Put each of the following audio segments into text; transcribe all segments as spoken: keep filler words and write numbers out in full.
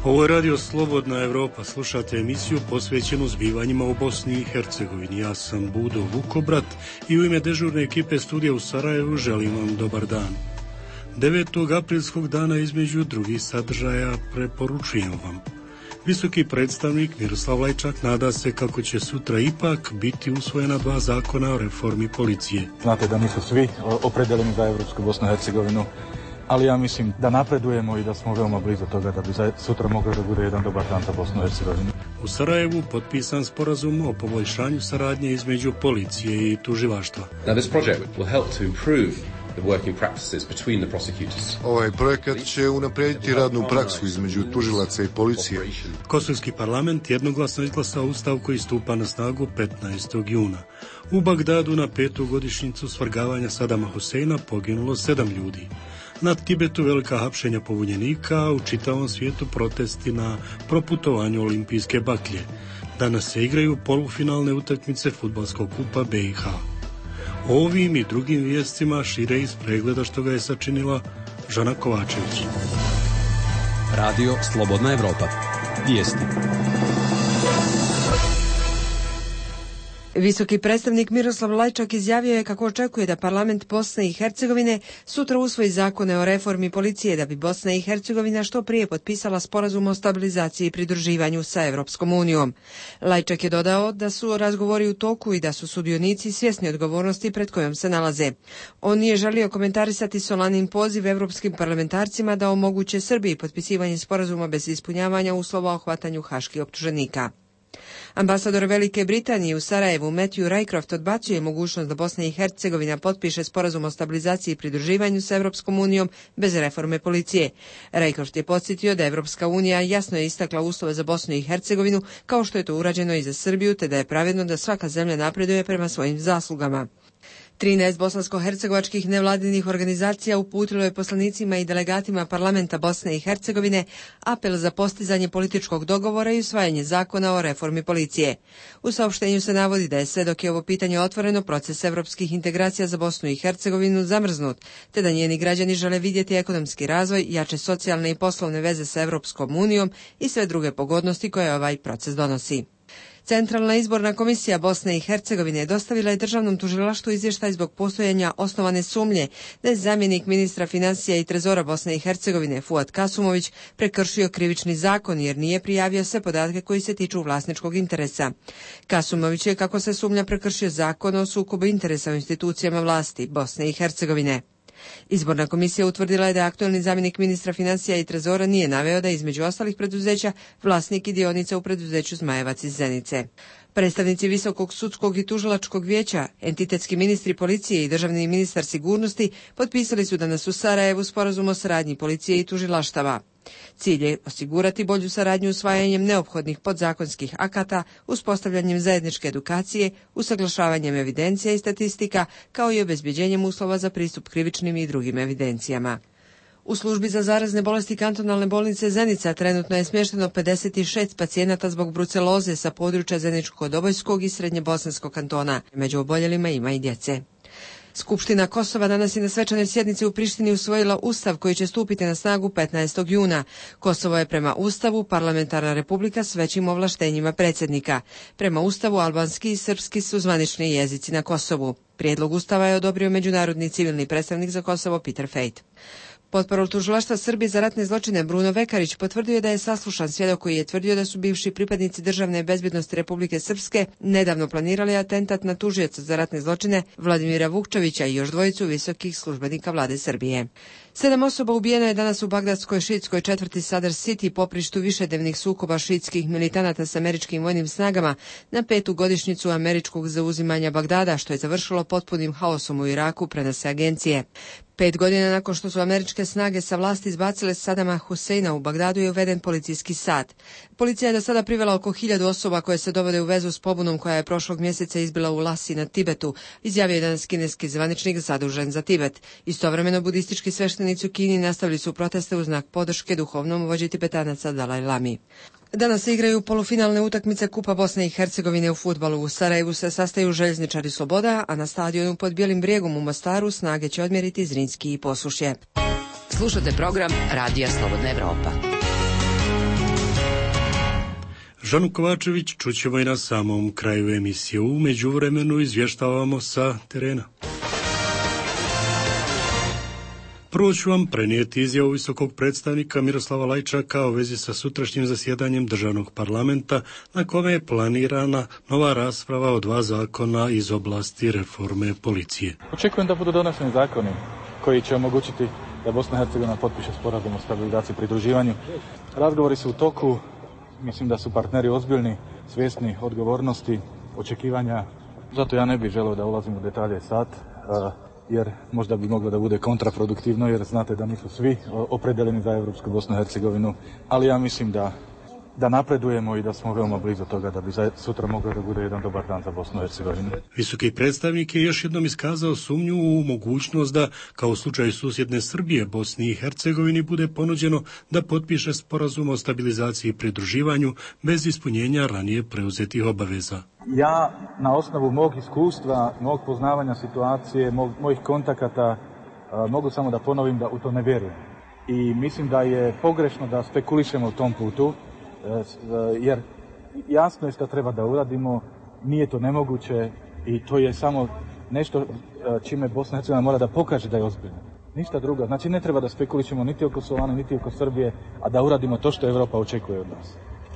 Ovo je Radio Slobodna Evropa, slušate emisiju posvećenu zbivanjima u Bosni i Hercegovini. Ja sam Budo Vukobrat i u ime dežurne ekipe studija u Sarajevu želim vam dobar dan. devetog aprilskog dana između drugih sadržaja preporučujem vam. Visoki predstavnik Miroslav Lajčak nada se kako će sutra ipak biti usvojena dva zakona o reformi policije. Znate da nisu svi opredeljeni za Evropsku Bosnu i Hercegovinu, ali ja mislim da napredujemo i da smo veoma blizu toga da bi sutra moglo da bude jedan dobar dan za Bosnu i Hercegovinu. U Sarajevu potpisan sporazum o poboljšanju saradnje između policije i tužilaštva. Now this project will help to improve the working practices between the prosecutors. Ovaj projekat će unaprijediti radnu praksu između tužilaca i policije. Kosovski parlament jednoglasno izglasao ustav koji stupa na snagu petnaestog juna. U Bagdadu na petu godišnjicu svrgavanja Sadama Huseina poginulo sedam ljudi. Na Tibetu velika hapšenja pobunjenika, a u čitavom svijetu protesti na proputovanju olimpijske baklje. Danas se igraju polufinalne utakmice fudbalskog kupa B i H. O ovim i drugim vijestima šire iz pregleda što ga je sačinila Žana Kovačević. Radio Slobodna Evropa. Vijesti. Visoki predstavnik Miroslav Lajčak izjavio je kako očekuje da parlament Bosne i Hercegovine sutra usvoji zakone o reformi policije da bi Bosna i Hercegovina što prije potpisala sporazum o stabilizaciji i pridruživanju sa Evropskom unijom. Lajčak je dodao da su razgovori u toku i da su sudionici svjesni odgovornosti pred kojom se nalaze. On nije želio komentarisati solanin poziv evropskim parlamentarcima da omoguće Srbiji potpisivanje sporazuma bez ispunjavanja uslova o hvatanju haških optuženika. Ambasador Velike Britanije u Sarajevu Matthew Rycroft odbacuje mogućnost da Bosna i Hercegovina potpiše sporazum o stabilizaciji i pridruživanju sa Evropskom unijom bez reforme policije. Rycroft je podsjetio da Evropska unija jasno je istakla uslove za Bosnu i Hercegovinu kao što je to urađeno i za Srbiju, te da je pravedno da svaka zemlja napreduje prema svojim zaslugama. trinaest bosansko-hercegovačkih nevladinih organizacija uputilo je poslanicima i delegatima parlamenta Bosne i Hercegovine apel za postizanje političkog dogovora i usvajanje zakona o reformi policije. U saopštenju se navodi da je sve dok je ovo pitanje otvoreno, proces evropskih integracija za Bosnu i Hercegovinu zamrznut, te da njeni građani žele vidjeti ekonomski razvoj, jače socijalne i poslovne veze sa Evropskom unijom i sve druge pogodnosti koje ovaj proces donosi. Centralna izborna komisija Bosne i Hercegovine dostavila je državnom tužilaštvu izvještaj zbog postojanja osnovane sumnje da je zamjenik ministra financija i trezora Bosne i Hercegovine Fuad Kasumović prekršio krivični zakon jer nije prijavio sve podatke koji se tiču vlasničkog interesa. Kasumović je, kako se sumnja, prekršio zakon o sukobu interesa u institucijama vlasti Bosne i Hercegovine. Izborna komisija utvrdila je da aktualni zamjenik ministra financija i trezora nije naveo da je između ostalih preduzeća vlasnik i dionica u preduzeću Zmajevac iz Zenice. Predstavnici Visokog sudskog i tužilačkog vijeća, entitetski ministri policije i državni ministar sigurnosti potpisali su danas u Sarajevu sporazum o saradnji policije i tužilaštava. Cilj je osigurati bolju saradnju usvajanjem neophodnih podzakonskih akata, uspostavljanjem zajedničke edukacije, usaglašavanjem evidencija i statistika, kao i obezbeđenjem uslova za pristup krivičnim i drugim evidencijama. U službi za zarazne bolesti kantonalne bolnice Zenica trenutno je smješteno pedeset šest pacijenata zbog bruceloze sa područja Zeničko-Dobojskog i Srednjebosanskog kantona. Među oboljelima ima i djece. Skupština Kosova danas je na svečanoj sjednici u Prištini usvojila ustav koji će stupiti na snagu petnaestog juna. Kosovo je prema ustavu parlamentarna republika s većim ovlaštenjima predsjednika. Prema ustavu albanski i srpski su zvanični jezici na Kosovu. Prijedlog ustava je odobrio međunarodni civilni predstavnik za Kosovo Peter Fejt. Potparol tužilaštva Srbije za ratne zločine Bruno Vekarić potvrdio je da je saslušan svjedok koji je tvrdio da su bivši pripadnici Državne bezbjednosti Republike Srpske nedavno planirali atentat na tužioca za ratne zločine Vladimira Vukčevića i još dvojicu visokih službenika vlade Srbije. Sedam osoba ubijeno je danas u bagdadskoj šiitskoj četvrti Sadr City, poprištu višednevnih sukoba šiitskih militanata s američkim vojnim snagama na petu godišnjicu američkog zauzimanja Bagdada, što je završilo potpunim haosom u Iraku, prenose agencije. Pet godina nakon što su američke snage sa vlasti izbacile Sadama Huseina, u Bagdadu je uveden policijski sat. Policija je do sada privela oko hiljadu osoba koje se dovode u vezu s pobunom koja je prošlog mjeseca izbila u Lasi na Tibetu, izjavio je danas kineski zvaničnik zadužen za Tibet. Istovremeno budistički sveštenici u Kini nastavili su proteste u znak podrške duhovnom vođi Tibetanaca Dalaj Lami. Danas se igraju polufinalne utakmice Kupa Bosne i Hercegovine u fudbalu. U Sarajevu se sastaju Željezničari Sloboda, a na stadionu pod Bijelim brijegom u Mostaru snage će odmjeriti Zrinski i Posušje. Slušate program Radija Slobodna Evropa. Žanu Kovačević čućemo i na samom kraju emisije. U međuvremenu izvještavamo sa terena. Prvo ću vam prenijeti izjavu visokog predstavnika Miroslava Lajčaka u vezi sa sutrašnjim zasjedanjem državnog parlamenta, na kome je planirana nova rasprava o dva zakona iz oblasti reforme policije. Očekujem da budu doneseni zakoni koji će omogućiti da Bosna i Hercegovina potpiše sporazum o stabilizaciji i pridruživanju. Razgovori su u toku, mislim da su partneri ozbiljni, svjesni odgovornosti, očekivanja. Zato ja ne bih želeo da ulazim u detalje sad, jer možda bi moglo da bude kontraproduktivno, jer znate da nisu svi opredeljeni za Europsku Bosnu i Hercegovinu, ali ja mislim da, da napredujemo i da smo veoma blizu toga da bi sutra moglo da bude jedan dobar dan za Bosnu i Hercegovinu. Visoki predstavnik je još jednom iskazao sumnju u mogućnost da, kao u slučaju susjedne Srbije, Bosni i Hercegovini bude ponuđeno da potpiše sporazum o stabilizaciji i pridruživanju bez ispunjenja ranije preuzetih obaveza. Ja na osnovu mog iskustva, mog poznavanja situacije, mog, mojih kontakata mogu samo da ponovim da u to ne vjerujem. I mislim da je pogrešno da spekulišemo u tom putu, jer jasno je što treba da uradimo, nije to nemoguće i to je samo nešto čime Bosna i Hercegovina mora da pokaže da je ozbiljna. Ništa drugo. Znači ne treba da spekulišemo niti oko Kosovana, niti oko Srbije, a da uradimo to što Europa očekuje od nas.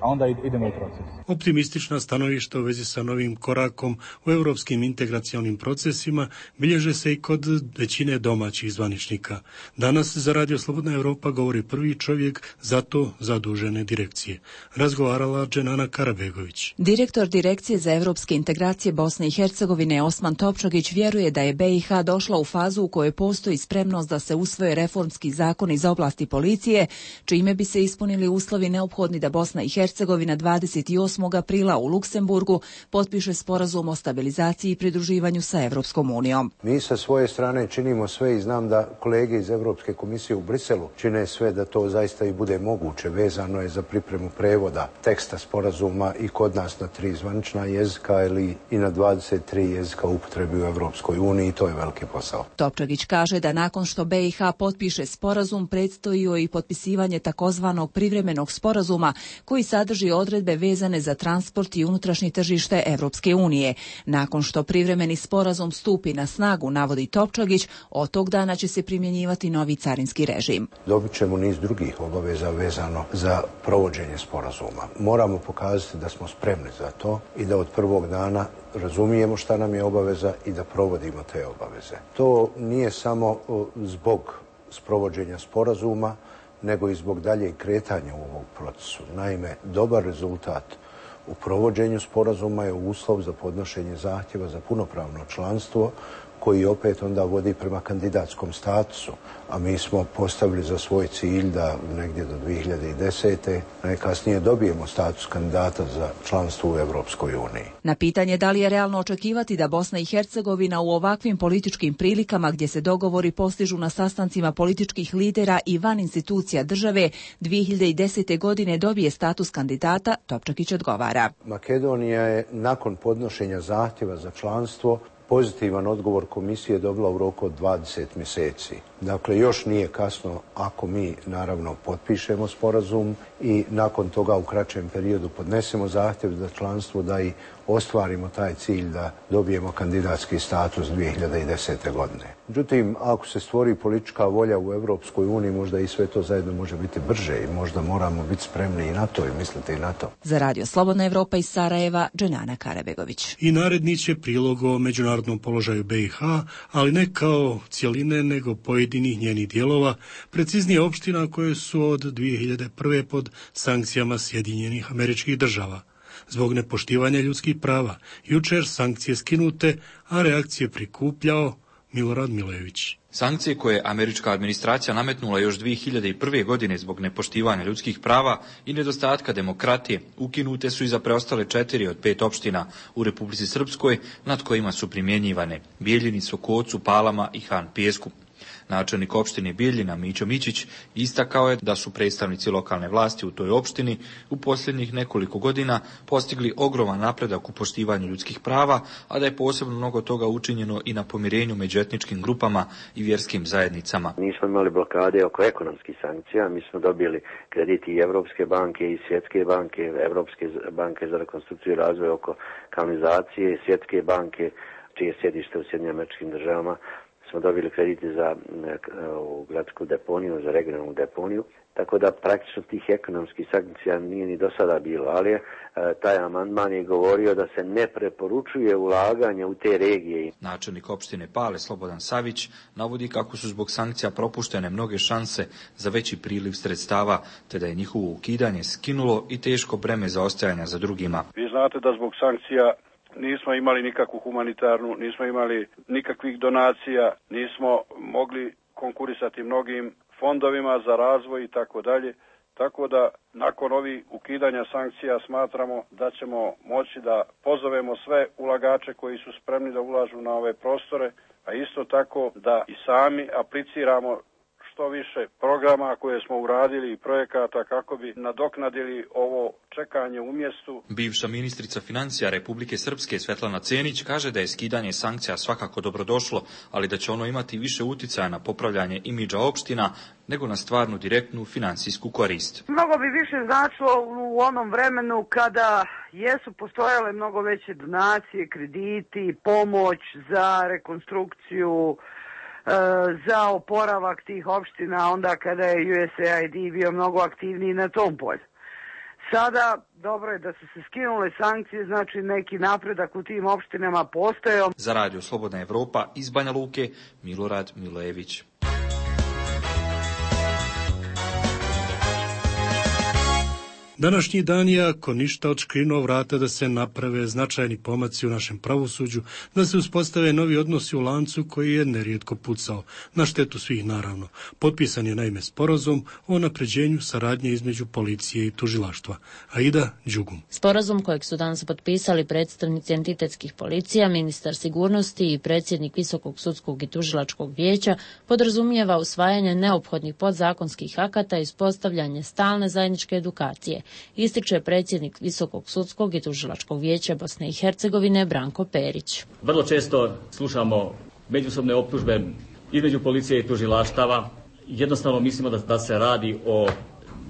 A onda idemo u proces. Optimistična stanovišta u vezi sa novim korakom u europskim integracionim procesima bilježe se i kod većine domaćih zvaničnika. Danas za Radio Slobodna Europa govori prvi čovjek za to zadužene direkcije. Razgovarala Dženana Karabegović. Direktor Direkcije za europske integracije Bosne i Hercegovine Osman Topčagić vjeruje da je B i H došla u fazu u kojoj postoji spremnost da se usvoje reformski zakoni iz oblasti policije, čime bi se ispunili uslovi neophodni da Bosna i Hercegovina Hercegovina dvadeset osmog aprila u Luksemburgu potpiše sporazum o stabilizaciji i pridruživanju sa Evropskom unijom. Mi sa svoje strane činimo sve i znam da kolege iz Europske komisije u Briselu čine sve da to zaista i bude moguće. Vezano je za pripremu prevoda teksta sporazuma i kod nas na tri zvanična jezika ili i na dvadeset tri jezika upotrebi u Evropskoj uniji i to je veliki posao. Topčagić kaže da nakon što B i H potpiše sporazum predstoji joj i potpisivanje takozvanog privremenog sporazuma koji sadrži odredbe vezane za transport i unutrašnje tržište Evropske unije. Nakon što privremeni sporazum stupi na snagu, navodi Topčagić, od tog dana će se primjenjivati novi carinski režim. Dobit ćemo niz drugih obaveza vezano za provođenje sporazuma. Moramo pokazati da smo spremni za to i da od prvog dana razumijemo šta nam je obaveza i da provodimo te obaveze. To nije samo zbog sprovođenja sporazuma, nego i zbog daljeg kretanja u ovom procesu. Naime, dobar rezultat u provođenju sporazuma je uslov za podnošenje zahtjeva za punopravno članstvo, koji opet onda vodi prema kandidatskom statusu, a mi smo postavili za svoj cilj da negdje do dvije hiljade desete najkasnije dobijemo status kandidata za članstvo u Evropskoj uniji. Na pitanje da li je realno očekivati da Bosna i Hercegovina u ovakvim političkim prilikama gdje se dogovori postižu na sastancima političkih lidera i van institucija države dvije hiljade desete. godine dobije status kandidata, Topčagić odgovara. Makedonija je nakon podnošenja zahtjeva za članstvo pozitivan odgovor komisije dobila u roku od dvadeset mjeseci. Dakle, još nije kasno ako mi, naravno, potpišemo sporazum i nakon toga u kraćem periodu podnesemo zahtjev za članstvo da i ostvarimo taj cilj da dobijemo kandidatski status dvije hiljade desete. godine. Međutim, ako se stvori politička volja u Evropskoj uniji, možda i sve to zajedno može biti brže i možda moramo biti spremni i na to i misliti i na to. Za Radio Slobodna Evropa iz Sarajeva, Dženana Karabegović. I naredni će prilog o međunarodnom položaju B i H, ali ne kao cjeline, nego pojedinih njenih dijelova, preciznije opština koje su od dvije hiljade prve. pod sankcijama Sjedinjenih Američkih Država. Zbog nepoštivanja ljudskih prava, jučer sankcije skinute, a reakcije prikupljao Milorad Milojević. Sankcije koje je američka administracija nametnula još dvije hiljade prve. godine zbog nepoštivanja ljudskih prava i nedostatka demokratije ukinute su i za preostale četiri od pet opština u Republici Srpskoj nad kojima su primjenjivane Bijeljini, Sokocu, Palama i Han Pijesku. Načelnik opštine Bijeljina Mićo Mićić istakao je da su predstavnici lokalne vlasti u toj opštini u posljednjih nekoliko godina postigli ogroman napredak u poštivanju ljudskih prava, a da je posebno mnogo toga učinjeno i na pomirenju među etničkim grupama i vjerskim zajednicama. Nismo imali blokade oko ekonomskih sankcija, mi smo dobili krediti i Evropske banke i Svjetske banke, Evropske banke za rekonstrukciju i razvoj oko kanalizacije, Svjetske banke, čije sjedište u Sjedinjenim Američkim Državama, smo dobili krediti za u gradsku deponiju, za regionalnu deponiju, tako da praktično tih ekonomskih sankcija nije ni do sada bilo, ali je taj amandman je govorio da se ne preporučuje ulaganje u te regije. Načelnik opštine Pale Slobodan Savić navodi kako su zbog sankcija propuštene mnoge šanse za veći priliv sredstava, te da je njihovo ukidanje skinulo i teško breme zaostajanja za drugima. Vi znate da zbog sankcija nismo imali nikakvu humanitarnu, nismo imali nikakvih donacija, nismo mogli konkurisati mnogim fondovima za razvoj i tako dalje. Tako da nakon ovih ukidanja sankcija smatramo da ćemo moći da pozovemo sve ulagače koji su spremni da ulažu na ove prostore, a isto tako da i sami apliciramo što više programa koje smo uradili i projekata kako bi nadoknadili ovo čekanje u mjestu. Bivša ministrica financija Republike Srpske Svetlana Cenić kaže da je skidanje sankcija svakako dobrodošlo, ali da će ono imati više uticaja na popravljanje imidža opština nego na stvarnu direktnu financijsku korist. Mnogo bi više značilo u onom vremenu kada jesu postojale mnogo veće donacije, krediti, pomoć za rekonstrukciju, za oporavak tih opština, onda kada je U S A I D bio mnogo aktivniji na tom polju. Sada dobro je da su se skinule sankcije, znači neki napredak u tim opštinama postoje. Za Radio Slobodna Evropa iz Banja Luke, Milorad Milojević. Današnji dan je, ako ništa, odškrinuo vrata da se naprave značajni pomaci u našem pravosuđu, da se uspostave novi odnosi u lancu koji je nerijetko pucao, na štetu svih naravno. Potpisan je naime sporazum o napređenju saradnje između policije i tužilaštva. Aida Đugum. Sporazum kojeg su danas potpisali predstavnici entitetskih policija, ministar sigurnosti i predsjednik Visokog sudskog i tužilačkog vijeća podrazumijeva usvajanje neophodnih podzakonskih akata i uspostavljanje stalne zajedničke edukacije, ističe predsjednik Visokog sudskog i tužilačkog vijeća Bosne i Hercegovine Branko Perić. Vrlo često slušamo međusobne optužbe između policije i tužilaštava. Jednostavno mislimo da, da se radi o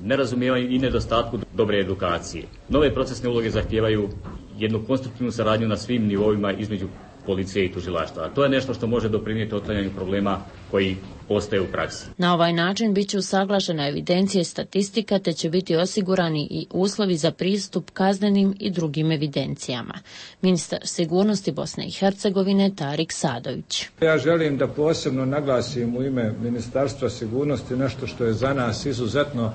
nerazumijevanju i nedostatku dobre edukacije. Nove procesne uloge zahtijevaju jednu konstruktivnu saradnju na svim nivoima između policije i tužilaštva. To je nešto što može doprinijeti otklanjanju problema koji postoje u praksi. Na ovaj način bit će usaglašena evidencija i statistika, te će biti osigurani i uslovi za pristup kaznenim i drugim evidencijama. Ministar sigurnosti Bosne i Hercegovine Tarik Sadović. Ja želim da posebno naglasim u ime Ministarstva sigurnosti nešto što je za nas izuzetno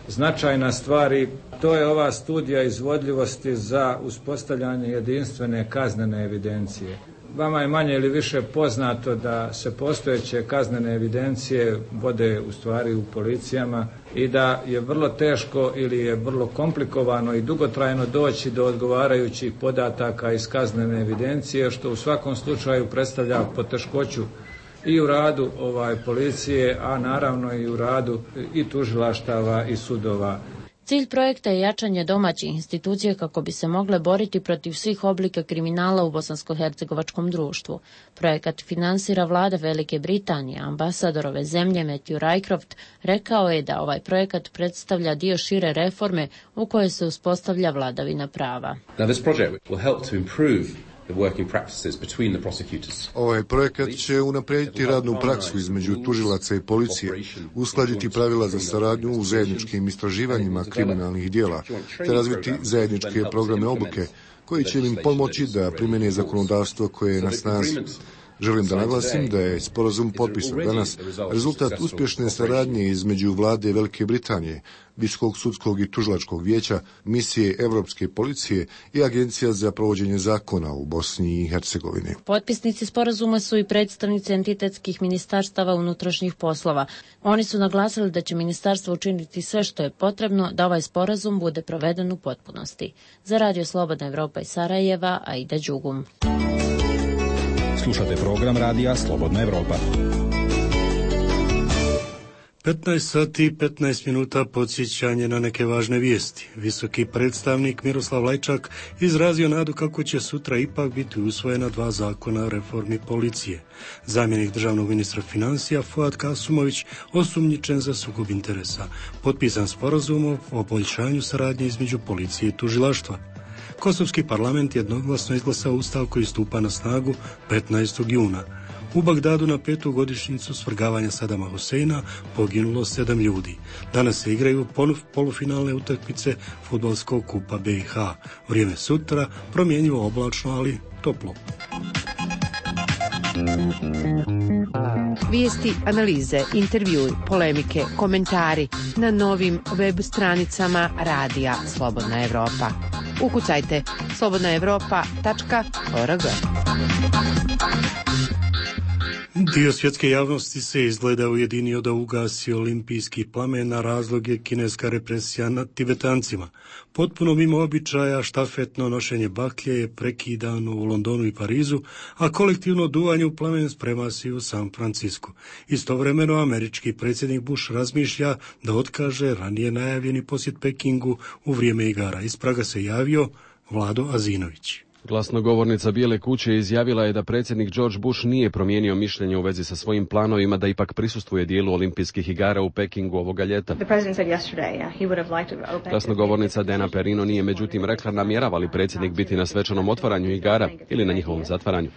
značajna stvar, i to je ova studija izvodljivosti za uspostavljanje jedinstvene kaznene evidencije. Vama je manje ili više poznato da se postojeće kaznene evidencije vode u stvari u policijama i da je vrlo teško ili je vrlo komplikovano i dugotrajno doći do odgovarajućih podataka iz kaznene evidencije, što u svakom slučaju predstavlja poteškoću i u radu ovaj policije, a naravno i u radu i tužilaštava i sudova. Cilj projekta je jačanje domaćih institucija kako bi se mogle boriti protiv svih oblika kriminala u bosansko-hercegovačkom društvu. Projekat finansira vlada Velike Britanije. Ambasador ove zemlje Matthew Rycroft rekao je da ovaj projekat predstavlja dio šire reforme u kojoj se uspostavlja vladavina prava. Now this project will help to improve the working practices between the prosecutors. Ovaj projekat će unaprijediti radnu praksu između tužilaca i policije, uskladiti pravila za saradnju u zajedničkim istraživanjima kriminalnih djela, te razviti zajedničke programe obuke koji će im pomoći da primjene zakonodavstvo koje je na snazi. Želim da naglasim da je sporazum potpisan danas rezultat uspješne saradnje između vlade Velike Britanije, Visokog sudskog i tužilačkog vijeća, misije Evropske policije i Agencija za provođenje zakona u Bosni i Hercegovini. Potpisnici sporazuma su i predstavnici entitetskih ministarstava unutrašnjih poslova. Oni su naglasili da će ministarstvo učiniti sve što je potrebno da ovaj sporazum bude proveden u potpunosti. Za Radio Slobodna Evropa iz Sarajeva, Aida Đugum. Slušate program radija Slobodna Evropa. petnaest sati i petnaest minuta podsjećanje na neke važne vijesti. Visoki predstavnik Miroslav Lajčak izrazio nadu kako će sutra ipak biti usvojena dva zakona o reformi policije. Zamjenik državnog ministra financija Fuad Kasumović osumnjičen za sukob interesa. Potpisan sporazum o poboljšanju saradnje između policije i tužilaštva. Kosovski parlament jednoglasno izglasao ustav koji stupa na snagu petnaestog juna. U Bagdadu na petu godišnjicu svrgavanja Sadama Huseina poginulo sedam ljudi. Danas se igraju polufinalne utakmice fudbalskog kupa B i H. Vrijeme sutra promjenjivo oblačno, ali toplo. Vijesti, analize, intervjui, polemike, komentari na novim web stranicama Radija Slobodna Evropa. Ukucajte slobodna evropa tačka org. Dio svjetske javnosti se izgleda ujedinio da ugasi olimpijski plamen, na razlog je kineska represija nad Tibetancima. Potpuno mimo običaja štafetno nošenje baklje je prekidano u Londonu i Parizu, a kolektivno duvanje u plamen sprema se u San Francisku. Istovremeno američki predsjednik Bush razmišlja da otkaže ranije najavljeni posjet Pekingu u vrijeme igara. Iz Praga se javio Vlado Azinović. Glasnogovornica Bijele kuće izjavila je da predsjednik George Bush nije promijenio mišljenje u vezi sa svojim planovima da ipak prisustvuje dijelu olimpijskih igara u Pekingu ovoga ljeta. Glasnogovornica Dana Perino nije međutim rekla namjerava li predsjednik biti na svečanom otvaranju igara ili na njihovom zatvaranju.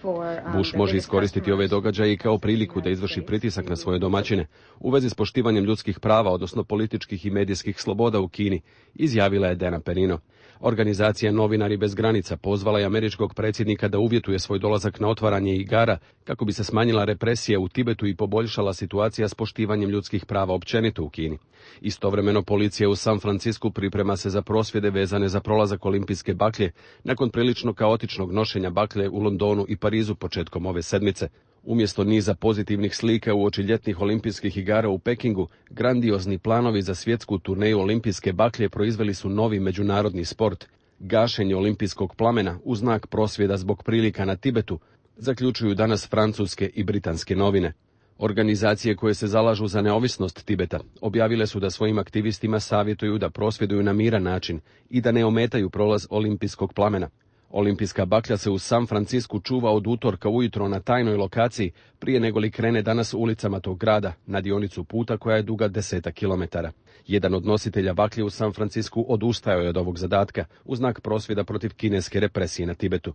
Bush može iskoristiti ove događaje kao priliku da izvrši pritisak na svoje domaćine u vezi s poštivanjem ljudskih prava, odnosno političkih i medijskih sloboda u Kini, izjavila je Dana Perino. Organizacija Novinari bez granica pozvala je američkog predsjednika da uvjetuje svoj dolazak na otvaranje igara kako bi se smanjila represija u Tibetu i poboljšala situacija s poštivanjem ljudskih prava općenito u Kini. Istovremeno policija u San Francisku priprema se za prosvjede vezane za prolazak olimpijske baklje nakon prilično kaotičnog nošenja baklje u Londonu i Parizu početkom ove sedmice. Umjesto niza pozitivnih slika uoči ljetnih olimpijskih igara u Pekingu, grandiozni planovi za svjetsku turneju olimpijske baklje proizveli su novi međunarodni sport. Gašenje olimpijskog plamena u znak prosvjeda zbog prilika na Tibetu zaključuju danas francuske i britanske novine. Organizacije koje se zalažu za neovisnost Tibeta objavile su da svojim aktivistima savjetuju da prosvjeduju na miran način i da ne ometaju prolaz olimpijskog plamena. Olimpijska baklja se u San Francisku čuva od utorka ujutro na tajnoj lokaciji prije nego li krene danas ulicama tog grada na dionicu puta koja je duga desetak kilometara. Jedan od nositelja baklje u San Francisku odustajao je od ovog zadatka u znak prosvjeda protiv kineske represije na Tibetu.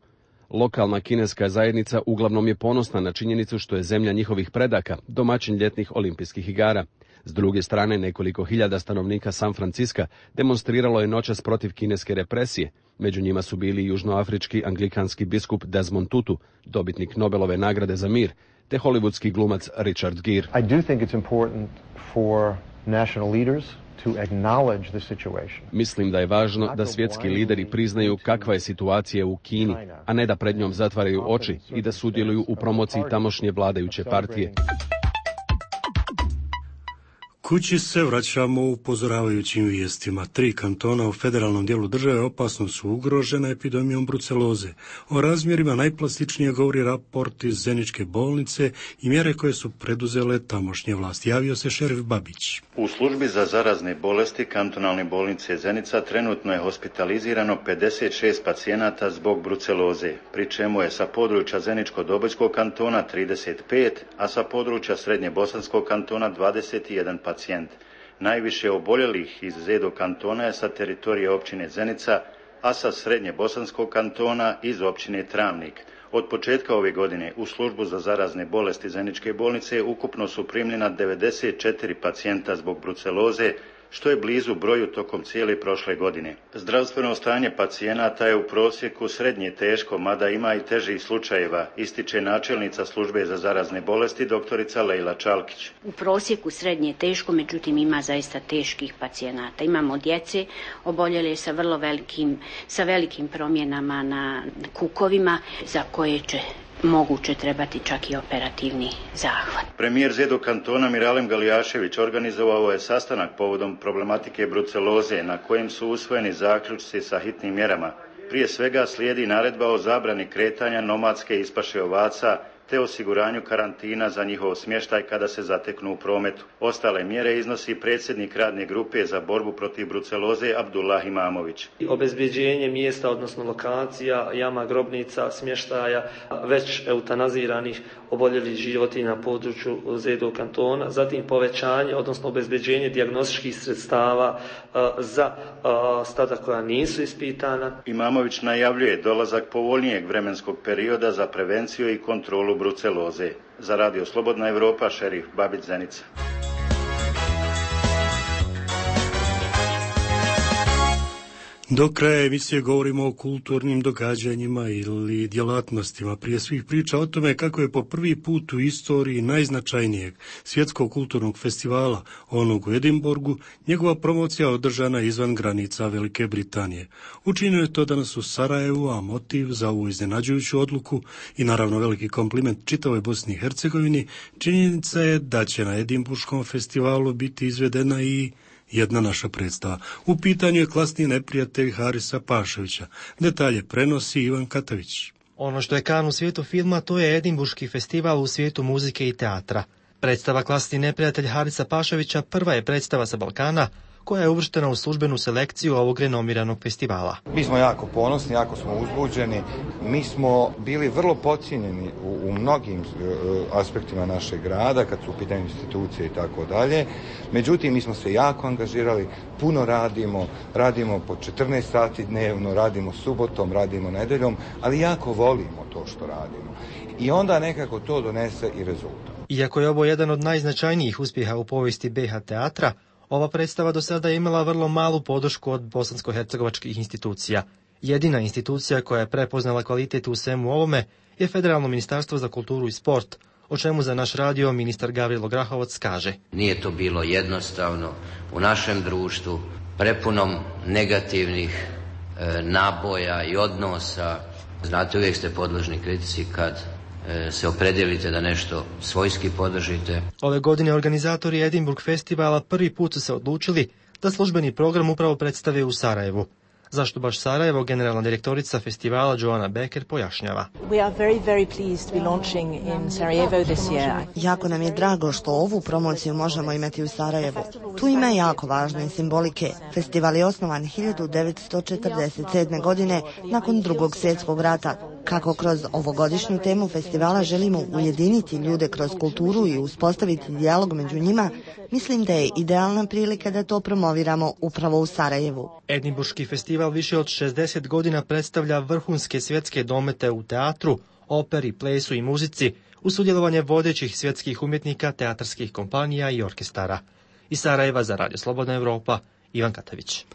Lokalna kineska zajednica uglavnom je ponosna na činjenicu što je zemlja njihovih predaka domaćin ljetnih olimpijskih igara. S druge strane, nekoliko hiljada stanovnika San Franciska demonstriralo je noćas protiv kineske represije. Među njima su bili južnoafrički anglikanski biskup Desmond Tutu, dobitnik Nobelove nagrade za mir, te hollywoodski glumac Richard Gere. I do think it's important for national leaders to acknowledge the situation. Mislim da je važno da svjetski lideri priznaju kakva je situacija u Kini, a ne da pred njom zatvaraju oči i da sudjeluju u promociji tamošnje vladajuće partije. Kući se vraćamo upozoravajućim vijestima. Tri kantona u federalnom dijelu države opasno su ugrožena epidemijom bruceloze. O razmjerima najplastičnije govori raport iz Zeničke bolnice i mjere koje su preduzele tamošnje vlasti. Javio se šerif Babić. U službi za zarazne bolesti kantonalne bolnice Zenica trenutno je hospitalizirano pedeset šest pacijenata zbog bruceloze, pri čemu je sa područja Zeničko-Dobojskog kantona trideset pet, a sa područja Srednje Bosanskog kantona dvadeset jedan pacijent. Najviše oboljelih iz Zedo kantona je sa teritorije općine Zenica, a sa Srednje Bosanskog kantona iz općine Travnik. Od početka ove godine u službu za zarazne bolesti Zeničke bolnice ukupno su primljena devedeset četiri pacijenta zbog bruceloze, što je blizu broju tokom cijele prošle godine. Zdravstveno stanje pacijenata je u prosjeku srednje teško, mada ima i težih slučajeva, ističe načelnica službe za zarazne bolesti doktorica Lejla Čalkić. U prosjeku srednje teško, međutim ima zaista teških pacijenata. Imamo djece oboljele sa vrlo velikim, sa velikim promjenama na kukovima za koje će moguće trebati čak i operativni zahvat. Premijer Zedo kantona Miralem Galijašević organizovao je sastanak povodom problematike bruceloze na kojem su usvojeni zaključci sa hitnim mjerama. Prije svega slijedi naredba o zabrani kretanja nomadske ispaše ovaca te osiguranju karantina za njihov smještaj kada se zateknu u prometu. Ostale mjere iznosi predsjednik radne grupe za borbu protiv bruceloze Abdullah Imamović. Obezbeđenje mjesta, odnosno lokacija, jama, grobnica, smještaja već eutanaziranih oboljelih životinja na području Zedo kantona, zatim povećanje, odnosno obezbeđenje dijagnostičkih sredstava za stada koja nisu ispitana. Imamović najavljuje dolazak povoljnijeg vremenskog perioda za prevenciju i kontrolu bruceloze. Za Radio Slobodna Evropa, Šerif Babić, Zenica. Do kraja emisije govorimo o kulturnim događanjima ili djelatnostima. Prije svih priča o tome kako je po prvi put u istoriji najznačajnijeg svjetskog kulturnog festivala, onog u Edinburgu, njegova promocija održana izvan granica Velike Britanije. Učinio je to danas u Sarajevu, a motiv za ovu iznenađujuću odluku i naravno veliki kompliment čitavoj Bosni i Hercegovini, činjenica je da će na Edinburškom festivalu biti izvedena i jedna naša predstava. U pitanju je klasni neprijatelj Harisa Paševića. Detalje prenosi Ivan Katavić. Ono što je kan u svijetu filma, to je Edinburški festival u svijetu muzike i teatra. Predstava Klasni neprijatelj Harisa Paševića prva je predstava sa Balkana koja je uvrštena u službenu selekciju ovog renomiranog festivala. Mi smo jako ponosni, jako smo uzbuđeni. Mi smo bili vrlo podcijenjeni u, u mnogim uh, aspektima našeg grada, kad su u pitanju institucije i tako dalje. Međutim, mi smo se jako angažirali, puno radimo, radimo po četrnaest sati dnevno, radimo subotom, radimo nedeljom, ali jako volimo to što radimo. I onda nekako to donese i rezultat. Iako je ovo jedan od najznačajnijih uspjeha u povijesti B H teatra, ova predstava do sada je imala vrlo malu podršku od bosansko-hercegovačkih institucija. Jedina institucija koja je prepoznala kvalitet u svemu ovome je Federalno ministarstvo za kulturu i sport, o čemu za naš radio ministar Gavrilo Grahovac kaže. Nije to bilo jednostavno u našem društvu, prepunom negativnih e, naboja i odnosa. Znate, uvijek ste podložni kritici kad se opredijelite da nešto svojski podržite. Ove godine organizatori Edinburgh festivala prvi put su se odlučili da službeni program upravo predstave u Sarajevu. Zašto baš Sarajevo, generalna direktorica festivala Joanna Becker pojašnjava. We are very, very pleased to be launching in Sarajevo this year. Jako nam je drago što ovu promociju možemo imati u Sarajevu. Tu ima jako važne simbolike. Festival je osnovan hiljadu devetsto četrdeset sedme. godine nakon drugog svjetskog rata. Kako kroz ovogodišnju temu festivala želimo ujediniti ljude kroz kulturu i uspostaviti dijalog među njima, mislim da je idealna prilika da to promoviramo upravo u Sarajevu. Edinburški festival više od šezdeset godina predstavlja vrhunske svjetske domete u teatru, operi, plesu i muzici, uz sudjelovanje vodećih svjetskih umjetnika, teatarskih kompanija i orkestara. Iz Sarajeva za Radio Slobodna Evropa, Ivan Katavić.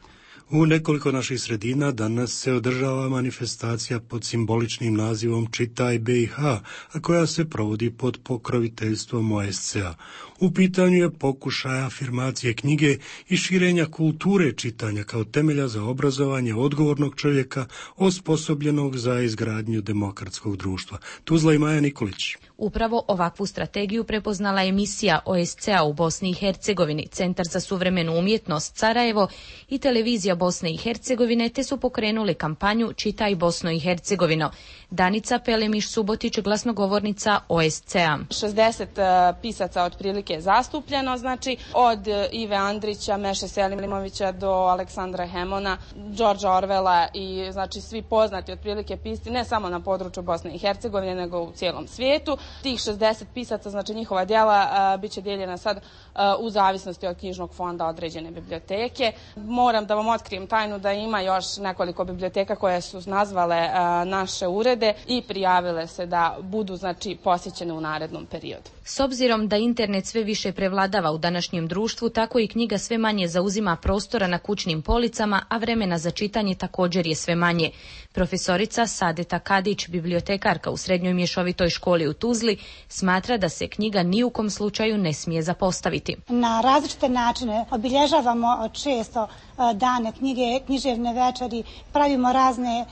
U nekoliko naših sredina danas se održava manifestacija pod simboličnim nazivom Čitaj B i H, a koja se provodi pod pokroviteljstvom O S C A. U pitanju je pokušaj afirmacije knjige i širenja kulture čitanja kao temelja za obrazovanje odgovornog čovjeka osposobljenog za izgradnju demokratskog društva. Tuzla i Maja Nikolić. Upravo ovakvu strategiju prepoznala emisija O S C A u Bosni i Hercegovini, Centar za suvremenu umjetnost Sarajevo i Televizija Bosne i Hercegovine, te su pokrenuli kampanju Čitaj Bosno i Hercegovino. Danica Pelemiš-Subotić, glasnogovornica O S C A. šezdeset uh, pisaca otprilike je zastupljeno, znači od uh, Ive Andrića, Meše Selimovića do Aleksandra Hemona, Đorđa Orvela i znači svi poznati otprilike pisci ne samo na području Bosne i Hercegovine nego u cijelom svijetu. Tih šezdeset pisaca, znači njihova djela uh, bit će dijeljena sad uh, u zavisnosti od knjižnog fonda određene biblioteke. Moram da vam otkrijem tajnu da ima još nekoliko biblioteka koje su nazvale uh, naše urede i prijavile se da budu znači posjećene u narednom periodu. S obzirom da internet sve više prevladava u današnjem društvu, tako i knjiga sve manje zauzima prostora na kućnim policama, a vremena za čitanje također je sve manje. Profesorica Sadeta Kadić, bibliotekarka u Srednjoj mješovitoj školi u Tuzli, smatra da se knjiga ni u kom slučaju ne smije zapostaviti. Na različite načine obilježavamo često dane knjige, književne večeri, pravimo razne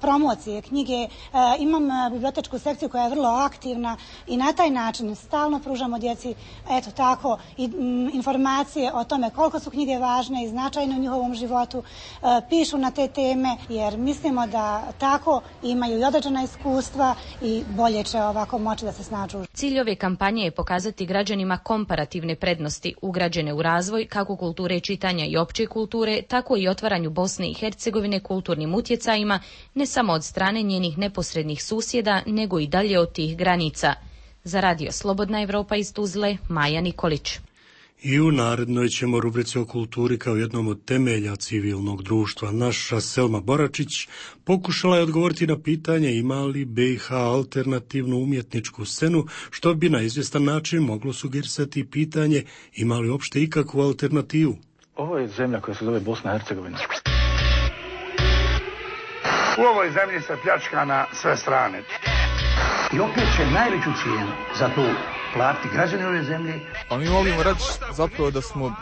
promocije knjige. Imam bibliotečku sekciju koja je vrlo aktivna i na taj način stalno pružamo djeci, eto tako, i informacije o tome koliko su knjige važne i značajne u njihovom životu. Pišu na te teme jer mislimo da tako imaju i određena iskustva i bolje će ovako moći da se snađu. Cilj ove kampanje je pokazati građanima komparativne prednosti ugrađene u razvoj kako kulture čitanja i opće kulture, tako i otvaranju Bosne i Hercegovine kulturnim utjecajima, ne samo od strane njenih neposrednih susjeda, nego i dalje od tih granica. Za Radio Slobodna Evropa iz Tuzle, Maja Nikolić. I u narednoj ćemo rubrici o kulturi kao jednom od temelja civilnog društva. Naša Selma Boračić pokušala je odgovoriti na pitanje ima li B i H alternativnu umjetničku scenu, što bi na izvjestan način moglo sugerisati pitanje ima li uopšte ikakvu alternativu. Ovo je zemlja koja se zove Bosna i Hercegovina. U ovoj zemlji se pljačka na sve strane. I opet će najveću cijenu za to platiti građani ove zemlje. A mi volimo reći zapravo da smo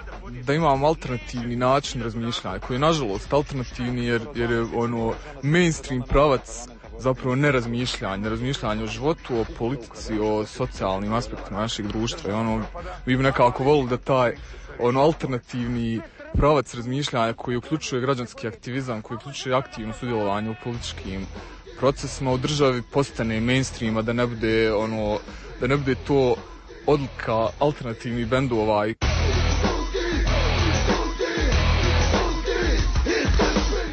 da imamo alternativni način razmišljanja, koji je nažalost alternativni jer, jer je ono mainstream pravac zapravo nerazmišljanje, razmišljanje o životu, o politici, o socijalnim aspektima našeg društva. I ono, vi bi nekako volili da taj ono alternativni pravac razmišljanja koji uključuje građanski aktivizam, koji uključuje aktivno sudjelovanje u političkim procesima u državi postane mainstreama, da ne bude ono, da ne bude to odlika alternativnih bendova.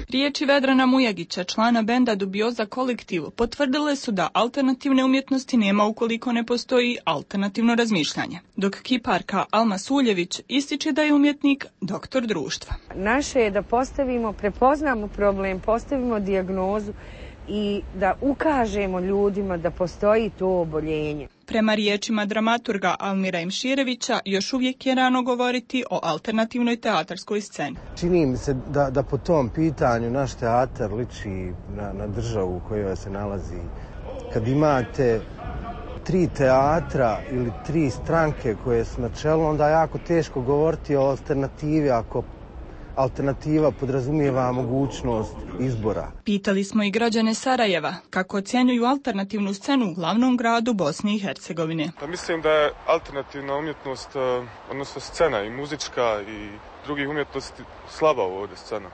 Riječi Vedrana Mujagića, člana benda Dubioza kolektiv, potvrdile su da alternativne umjetnosti nema ukoliko ne postoji alternativno razmišljanje. Dok kiparka Alma Suljević ističe da je umjetnik doktor društva. Naše je da postavimo, prepoznamo problem, postavimo dijagnozu i da ukažemo ljudima da postoji to oboljenje. Prema riječima dramaturga Almira Imširevića, još uvijek je rano govoriti o alternativnoj teatarskoj sceni. Čini mi se da, da po tom pitanju naš teatar liči na, na državu u kojoj se nalazi. Kad imate tri teatra ili tri stranke koje su na čelu, onda je jako teško govoriti o alternativi ako alternativa podrazumijeva mogućnost izbora. Pitali smo i građane Sarajeva kako ocjenjuju alternativnu scenu u glavnom gradu Bosne i Hercegovine. Pa mislim da je alternativna umjetnost, odnosno scena i muzička i drugih umjetnosti slaba ovdje scena.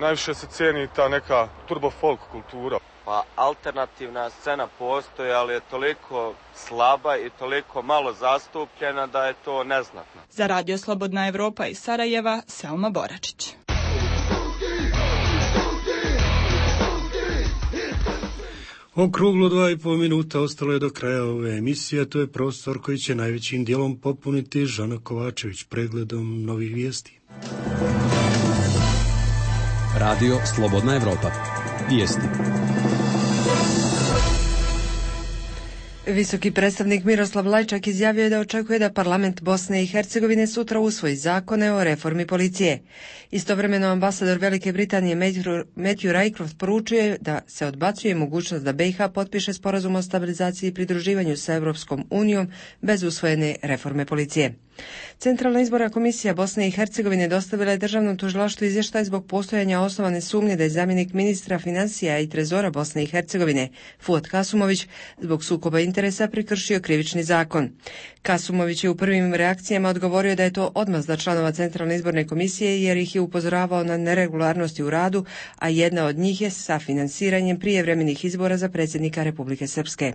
Najviše se cijeni ta neka turbo folk kultura. Pa alternativna scena postoji, ali je toliko slaba i toliko malo zastupljena da je to neznatno. Za Radio Slobodna Evropa iz Sarajeva, Selma Boračić. Okruglo dva i pol minuta ostalo je do kraja ove emisije, to je prostor koji će najvećim dijelom popuniti Žana Kovačević pregledom novih vijesti. Radio Slobodna Evropa. Vijesti. Visoki predstavnik Miroslav Lajčak izjavio je da očekuje da parlament Bosne i Hercegovine sutra usvoji zakone o reformi policije. Istovremeno ambasador Velike Britanije Matthew Rycroft poručuje da se odbacuje mogućnost da B i H potpiše sporazum o stabilizaciji i pridruživanju sa Europskom unijom bez usvojene reforme policije. Centralna izborna komisija Bosne i Hercegovine dostavila je državnom tužilaštvu izvještaj zbog postojanja osnovane sumnje da je zamjenik ministra financija i trezora Bosne i Hercegovine Fuad Kasumović zbog sukoba interesa prekršio krivični zakon. Kasumović je u prvim reakcijama odgovorio da je to odmazda članova Centralne izborne komisije jer ih je upozoravao na neregularnosti u radu, a jedna od njih je sa finansiranjem prijevremenih izbora za predsjednika Republike Srpske.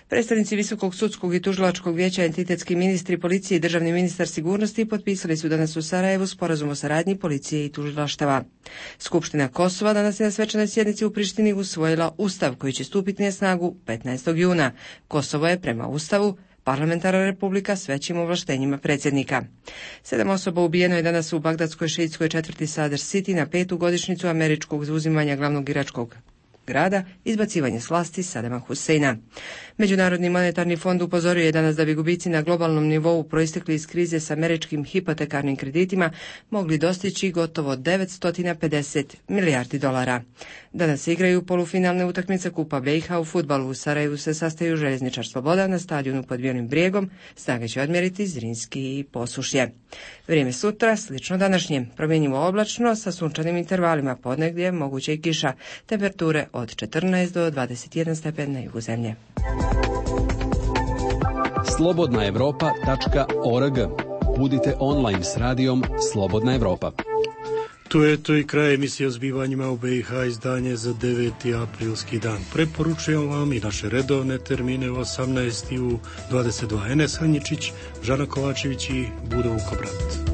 Predstavnici Visokog sudskog i tužilačkog vijeća, entitetski ministri policije i državni ministar sigurnosti potpisali su danas u Sarajevu sporazum o saradnji policije i tužilaštava. Skupština Kosova danas je na svečanoj sjednici u Prištini usvojila ustav koji će stupiti na snagu petnaestog juna. Kosovo je prema ustavu parlamentarna republika s većim ovlaštenjima predsjednika. Sedam osoba ubijeno je danas u bagdadskoj šiitskoj četvrti Sadr City na petu godišnjicu američkog zauzimanja glavnog iračkog grada, izbacivanje s vlasti Sadama Huseina. Međunarodni monetarni fond upozorio je danas da bi gubici na globalnom nivou proistekli iz krize s američkim hipotekarnim kreditima mogli dostići gotovo devetsto pedeset milijardi dolara. Danas se igraju polufinalne utakmice Kupa B i H u fudbalu. U Sarajevu se sastaju Željezničar Sloboda na stadionu pod Bijelim brijegom. Snage će odmjeriti Zrinski i Posušje. Vrijeme sutra slično današnjem. Promjenjivo oblačno sa sunčanim intervalima, ponegdje moguće i kiša. Temperature od od četrnaest do dvadeset jedan stepen na jugu zemlje. slobodna evropa tačka org. Budite online s radijom Slobodna Evropa. Tu je to i kraj emisije o zbivanjima u B i H, izdanje za deveti aprilski dan. Preporučujem vam i naše redovne termine u osamnaest i u dvadeset dva. Enes Hanjičić, Žana Kovačević i Budo Vukobrat.